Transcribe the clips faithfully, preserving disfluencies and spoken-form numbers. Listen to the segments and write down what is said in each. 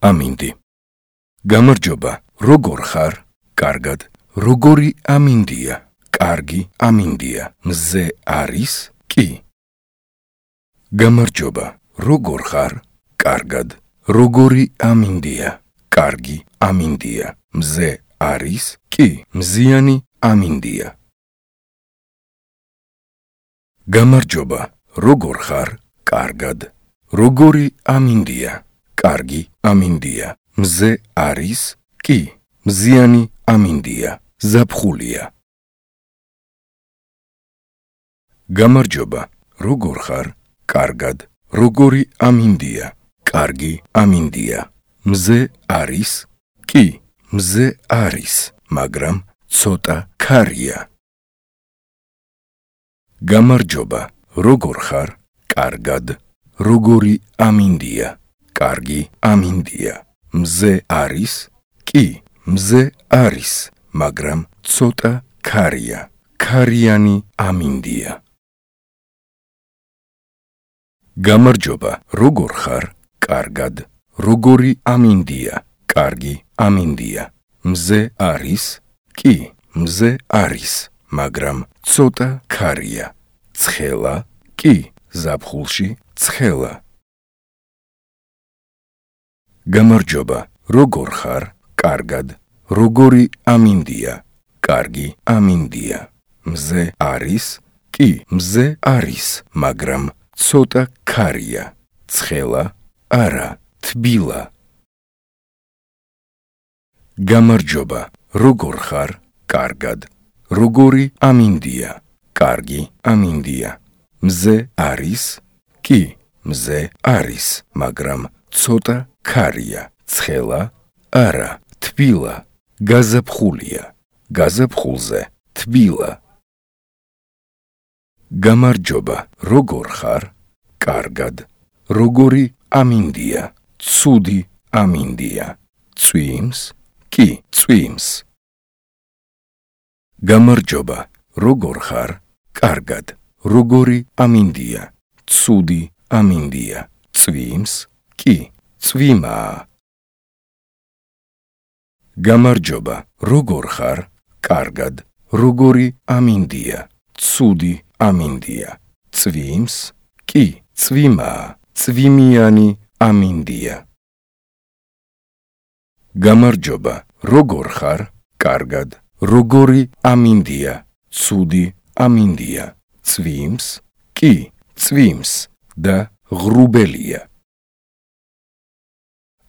ამინდი. გამარჯობა, როგორ ხარ? კარგად. როგორი ამინდია? კარგი ამინდია. მზე არის? კი. გამარჯობა, როგორ ხარ? კარგად. როგორი ამინდია? კარგი ამინდია. მზე არის? კი. მზიანი ამინდია. გამარჯობა, როგორ ხარ? კარგად. როგორი ამინდია? კარგი ამინდია. მზე არის? კი. მზიანი ამინდია. ზაფხულია. გამარჯობა, როგორ ხარ? კარგად. როგორი ამინდია? კარგი ამინდია. მზე არის? კი. მზე არის, მაგრამ ცოტა ქარია. გამარჯობა, როგორ ხარ? კარგად. როგორი ამინდია? კარგი ამინდია. მზე არის? კი. მზე არის, მაგრამ ცოტა ქარია. ქარიანი ამინდია. გამარჯობა, როგორ ხარ? კარგად. როგორი ამინდია? კარგი ამინდია. მზე არის? კი. მზე არის, მაგრამ ცოტა ქარია. ცხელა? კი. ზაფხულში ცხელა. გამარჯობა, როგორ ხარ? კარგად. როგორი ამინდია? კარგი ამინდია. მზე არის? კი. მზე არის, მაგრამ ცოტა ქარია. ცხელა? არა, თბილა. გამარჯობა, როგორ ხარ? კარგად. როგორი ამინდია? კარგი ამინდია. მზე არის? კი. მზე არის, მაგრამ ცოტა ქარია. ცხელა? არა, თბილა. გაზაფხულია. გაზაფხულზე თბილა. გამარჯობა, როგორ ხარ? კარგად. როგორი ამინდია? ცუდი ამინდია. წვიმს? კი, წვიმს. გამარჯობა, როგორ ხარ? კარგად. როგორი ამინდია? ცუდი ამინდია. წვიმს? კი, წვიმაა. გამარჯობა, როგორ ხარ? კარგად. როგორი ამინდია? ცუდი ამინდია. წვიმს? კი, წვიმაა. წვიმიანი ამინდია. გამარჯობა, როგორ ხარ? კარგად. როგორი ამინდია? ცუდი ამინდია. წვიმს? კი, წვიმს და ღრუბელია.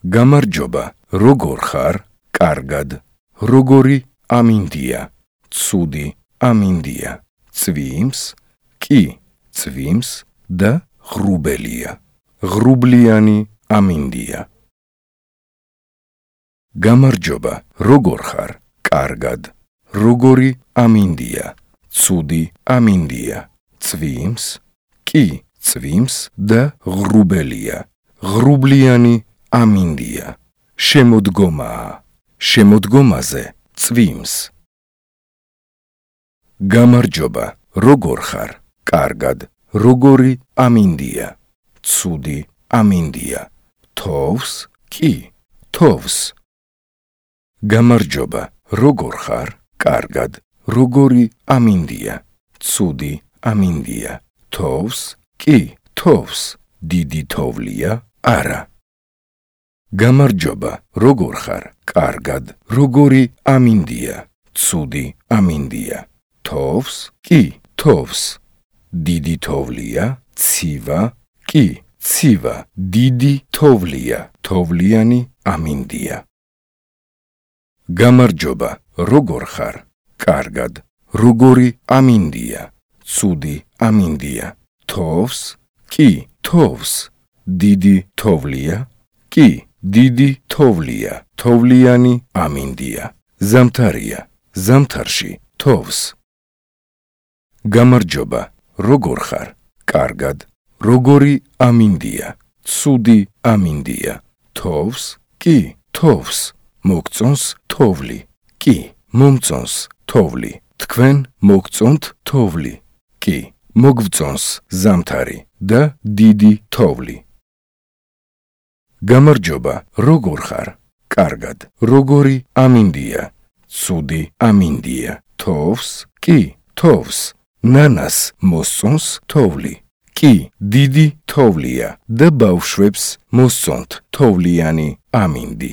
გამარჯობა, როგორ ხარ? კარგად. როგორი ამინდია? ცუდი ამინდია. წვიმს? კი, წვიმს და ღრუბელია. ღრუბლიანი ამინდია. გამარჯობა, როგორ ხარ? კარგად. როგორი ამინდია? ცუდი ამინდია. წვიმს? კი, წვიმს და ღრუბელია. ღრუბლიანი ამინდია. შემოდგომაა. შემოდგომაზე წვიმს. გამარჯობა, როგორ ხარ? კარგად. როგორი ამინდია? ცუდი ამინდია. თოვს? კი, თოვს. გამარჯობა, როგორ ხარ? კარგად. როგორი ამინდია? ცუდი ამინდია. თოვს? კი, თოვს. დიდი თოვლია? არა. გამარჯობა, როგორ ხარ? კარგად. როგორი ამინდია? ცუდი ამინდია. თოვს? კი, თოვს. დიდი თოვლია? ცივა? კი, ცივა. დიდი თოვლია. თოვლიანი ამინდია. გამარჯობა, როგორ ხარ? კარგად. როგორი ამინდია? ცუდი ამინდია. თოვს? კი, თოვს. დიდი თოვლია? კი, დიდი თოვლია. თოვლიანი ამინდია. ზამთარია. ზამთარში თოვს. გამარჯობა, როგორ ხარ? კარგად. როგორი ამინდია? ცუდი ამინდია. თოვს? კი, თოვს. მოგწონს თოვლი? კი, მომწონს თოვლი. თქვენ მოგწონთ თოვლი? კი, მოგწონს ზამთარი და დიდი თოვლი. გამარჯობა, როგორ ხარ? კარგად. როგორი ამინდია? ცუდი ამინდია. თოვს? კი, თოვს. ნანას მოსწონს თოვლი. კი, დიდი თოვლია და ბავშვებს მოსწონთ თოვლიანი ამინდი.